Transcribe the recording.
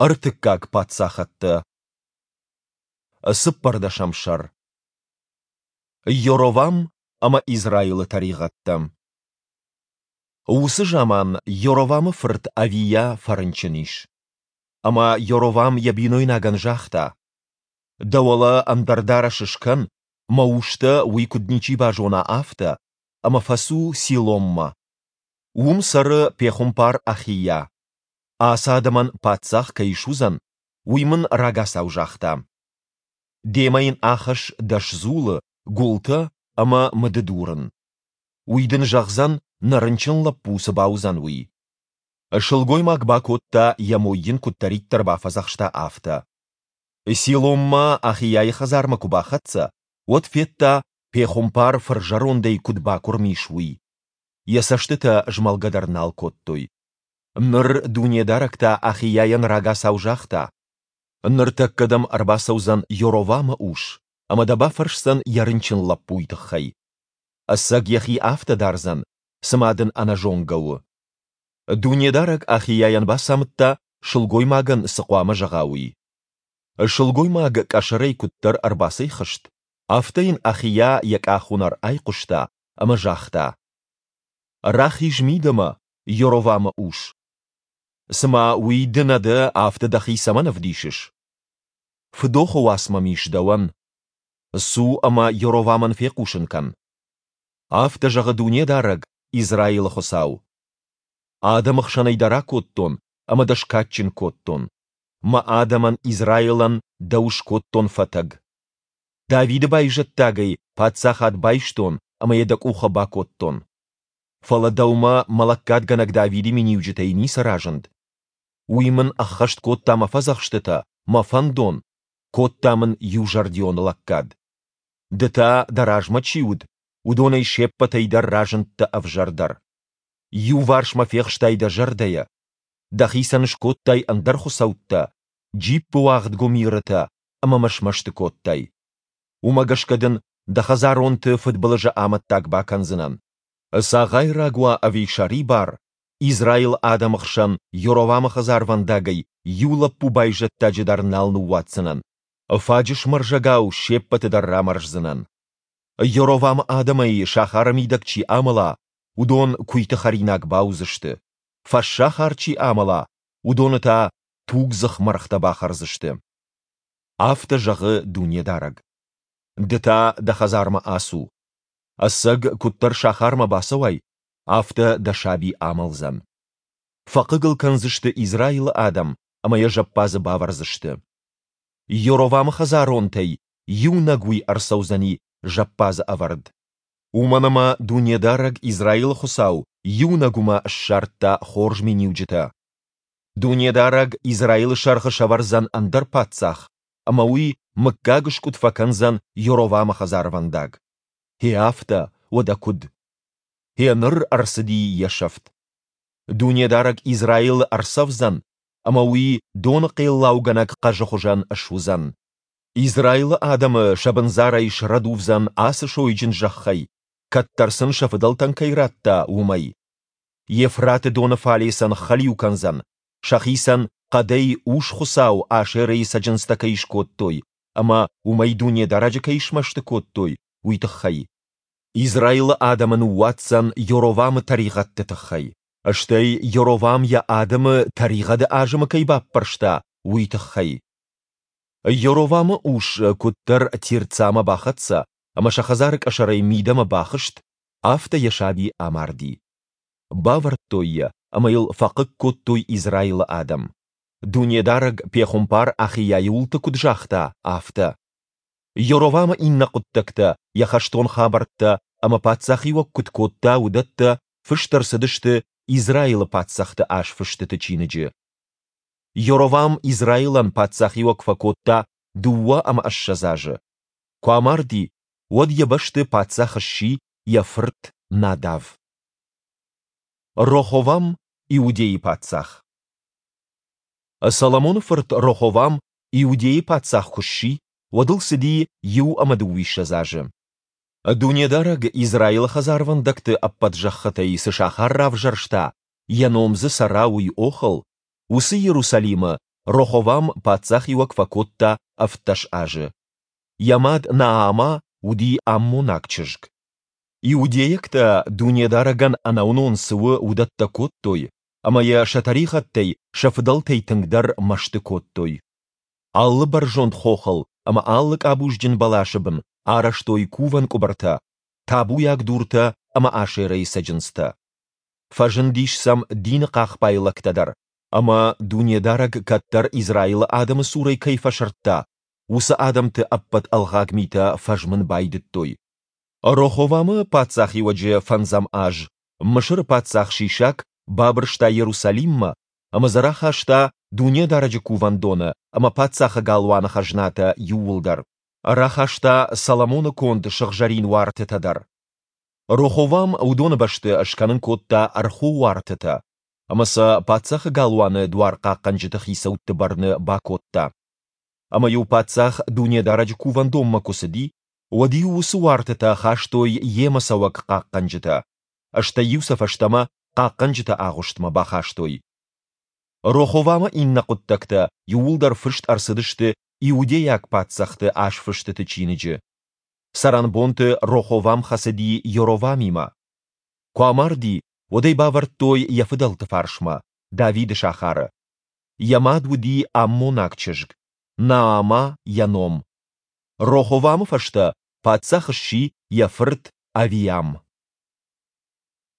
Ӕртыккаг паддзахӕдтӕ. Цыппӕрдӕсӕм сӕр. Йоровам ӕмӕ Израилы тӕригъӕдтӕ. Уыцы заман Йоровамы фырт Авийа фӕрынчын ис. Ӕмӕ Йоровам йӕ бинойнагӕн загъта: Дӕ уӕлӕ ӕндӕр дарӕс скӕн, мӕ ус дӕ уый куыд ничи базона, афтӕ, ӕмӕ фӕцу Силоммӕ. Уым цӕры пехуымпар Ахийа. Ацы адӕмӕн паддзах кӕй суыдзӕн, уый мын рагацау загъта. Демӕ йын ахӕсс дӕс дзулы, гуылтӕ ӕмӕ мыды дурын. Уый дын зӕгъдзӕн, нӕ рынчын лӕппу цы бауыдзӕн, уый. Сылгоймаг бакодта, йӕ мой йын куыддӕриддӕр бафӕдзӕхста, афтӕ. Силоммӕ Ахийайы хӕдзармӕ куы бахӕццӕ, уӕд федта, пехуымпар фырзӕрондӕй куыд бакуырм ис, уый. Йӕ цӕстытӕ змӕлгӕ дӕр нал кодтой. Ныр Дунедарӕг та Ахийайӕн рагацау загъта: Ныртӕккӕ дӕм ӕрбацӕудзӕн Йоровамы ус ӕмӕ дӕ бафӕрсдзӕн йӕ рынчын лӕппуйы тыххӕй. Ӕцӕг йӕхи афтӕ дардзӕн, цыма дын ӕнӕзонгӕ у. Дунедарӕг Ахийайӕн бацамыдта, сылгоймагӕн цы хъуамӕ зӕгъа, уый. Сылгоймаг къӕсӕрӕй куыддӕр ӕрбацӕйхызт, афтӕ йын Ахийа йӕ къахуынӕр айхъуыста ӕмӕ загъта: Рахиз мидӕмӕ, Йоровамы ус. Цыма уый ды нӕ дӕ, афтӕ дӕхи цӕмӕн ӕвдисыс? Фыдохы уац мӕм ис дӕуӕн. Цу ӕмӕ Йоровамӕн фехъусын кӕн. Афтӕ зӕгъы Дунедарӕг, Израилы Хуыцау: Адӕмы хсӕнӕй дӕ ракодтон ӕмӕ дӕ скадджын кодтон. Мӕ адӕмӕн Израилӕн дӕу скодтон фӕтӕг. Давиды байзӕддагӕй паддзахад байстон ӕмӕ йӕ дӕ къухы бакодтон. Фӕлӕ дӕумӕ мӕ лӕггадгӕнӕг Давиды миниуджытӕй ницы разынд. Уый мын ӕххӕст кодта мӕ фӕдзӕхстытӕ, мӕ фӕндон, кодта мын иузӕрдион лӕггад. Ды та, дӕ размӕ чи уыд, уыдонӕй се ппӕтӕй дӕр разындтӕ ӕвзӕрдӕр. Иуварс мӕ фехстай дӕ зӕрдӕйӕ. Дӕхицӕн скодтай ӕндӕр хуыцӕуттӕ, джиппыуагъд гуымирытӕ ӕмӕ мӕ смӕсты кодтай. Уымӕ гӕсгӕ дын дӕ хӕдзаронты фыдбылызы амӕттаг бакӕндзынӕн. Цагъайраг уа ӕви сӕрибар, Израилы адӕмы хсӕн Йоровамы хӕдзарвӕндагӕй иу лӕппу байзӕддаджы дӕр нал ныууадздзынӕн, фаджысмӕрзӕгау се ппӕты дӕр рамӕрздзынӕн. Йоровамы адӕмӕй сахары мидӕг чи амӕла, уыдон куыйты хӕринаг бауыдзысты, фӕссахар чи амӕла, уыдоны та тугдзых мӕргътӕ бахӕрдзысты. Афтӕ зӕгъы Дунедарӕг. Ды та дӕ хӕдзармӕ ацу. Ӕцӕг, куыддӕр сахармӕ бацӕуай, афтӕ дӕ саби амӕлдзӕн. Фӕхъыг ыл кӕндзысты Израилы адӕм ӕмӕ йӕ зӕппадзы бавӕрдзысты. Йоровамы хӕдзаронтӕй иунӕг уый ӕрцӕудзӕни зӕппадзы ӕвӕрд. Уымӕн ӕмӕ Дунедарӕг, Израилы Хуыцау, иунӕг уымӕ ссардта хорз миниуджытӕ. Дунедарӕг Израилы сӕргъы сӕвӕрдзӕн ӕндӕр паддзах, ӕмӕ уый мыггагыскъуыд фӕкӕндзӕн Йоровамы хӕдзарвӕндаг. Гъе афтӕ, уӕдӕ куыд? Гъе ныр ӕрцыди йӕ сӕфт. Дунедарӕг Израилы ӕрцӕвдзӕн, ӕмӕ уый доны хъеллаугӕнӕг хъӕзы хуызӕн суыдзӕн. Израилы адӕмы сӕ бындзарӕй срӕдувдзӕн ацы сойджын зӕххӕй, кӕддӕр сын сӕ фыдӕлтӕн кӕй радта, уымӕй. Евфраты доны фале сӕ ныххӕлиу кӕндзӕн, сӕхицӕн хъӕдӕй ус-хуыцау Ашерӕйы цӕджындзтӕ кӕй скодтой ӕмӕ уымӕй Дунедарӕджы кӕй смӕсты кодтой, уый тыххӕй. Израилы адӕмы ныууадздзӕн Йоровамы тӕригъӕдты тыххӕй, стӕй Йоровам йӕ адӕмы тӕригъӕды азымы кӕй баппӕрста, уый тыххӕй. Йоровамы ус куыддӕр Тирцамӕ бахӕццӕ ӕмӕ сӕ хӕдзары къӕсӕрӕй мидӕмӕ бахызт, афтӕ йӕ саби амарди. Бавӕрдтой йӕ ӕмӕ йыл фӕхъыг кодтой Израилы адӕм. Дунедарӕг пехуымпар Ахийайы уылты куыд загъта, афтӕ. Йоровамы иннӕ хъуыддӕгтӕ, йӕ хӕстон хабӕрттӕ ӕмӕ паддзахиуӕг куыд кодта, уыдӕттӕ фыст ӕрцыдысты Израилы паддзӕхты азфыстыты чиныджы. Йоровам Израилӕн паддзахиуӕг фӕкодта 22 азы. Куы амарди, уӕд йӕ бӕсты паддзах сси йӕ фырт Надав. Роховам, Иудейы паддзах. Соломоны фырт Роховам Иудейы паддзах куы сси, уӕд ыл цыди 21 азы. Дунедарӕг Израилы хӕдзарвӕндӕгты ӕппӕт зӕххытӕй цы сахар равзӕрста, йӕ ном дзы цӕра, уый охыл, уыцы Иерусалимы Роховам паддзахиуӕг фӕкодта 17 азы. Йӕ мад Наама уыди аммонаг чызг. Иудейӕгтӕ Дунедарӕгӕн ӕнӕуынон цы у, уыдӕттӕ кодтой, ӕмӕ йӕ сӕ тӕригъӕдтӕй сӕ фыдӕлтӕй тынгдӕр мӕсты кодтой. Алы бӕрзонд хохыл ӕмӕ алы къабузджын бӕласы бын арӕзтой кувӕн къуыбыртӕ, табуйаг дуртӕ ӕмӕ Ашерӕйы цӕджындзтӕ. Фӕзындис сӕм дины хъахбай лӕгтӕ дӕр, ӕмӕ, Дунедарӕг кӕддӕр Израилы адӕмы цурӕй кӕй фӕсырдта, уыцы адӕмты ӕппӕт ӕлгъаг митӕ фӕзмын байдыдтой. Роховамы паддзахиуӕджы фӕндзӕм аз Мысыры паддзах Шишак бабырста Иерусалиммӕ ӕмӕ дзы рахаста Дунедарӕджы Кувӕндоны ӕмӕ паддзахы галуаны хӕзнатӕ иууылдӕр. Рахаста Соломоны конд сыгъзӕрин уартытӕ дӕр. Роховам уыдоны бӕсты скӕнын кодта ӕрхуы уартытӕ ӕмӕ сӕ паддзахы галуаны дуархъахъхъӕнджыты хицӕутты бӕрны бакодта. Ӕмӕ-иу паддзах Дунедарӕджы Кувӕндонмӕ куы цыди, уӕд-иу уыцы уартытӕ хастой йемӕ цӕуӕг хъахъхъӕнджытӕ, стӕй-иу сӕ фӕстӕмӕ хъахъхъӕнджыты агъуыстмӕ бахастой. Роховамы иннӕ хъуыддӕгтӕ иууылдӕр фыст ӕрцыдысты Иудейаг паддзӕхты азфыстыты чиныджы. Цӕрӕнбонты Роховам хӕцыди Йоровамимӕ. Куы амарди, уӕд ӕй бавӕрдтой йӕ фыдӕлты фарсмӕ, Давиды сахары. Йӕ мад уыди аммонаг чызг, Наама йӕ ном. Роховамы фӕстӕ паддзах сси йӕ фырт Авиам.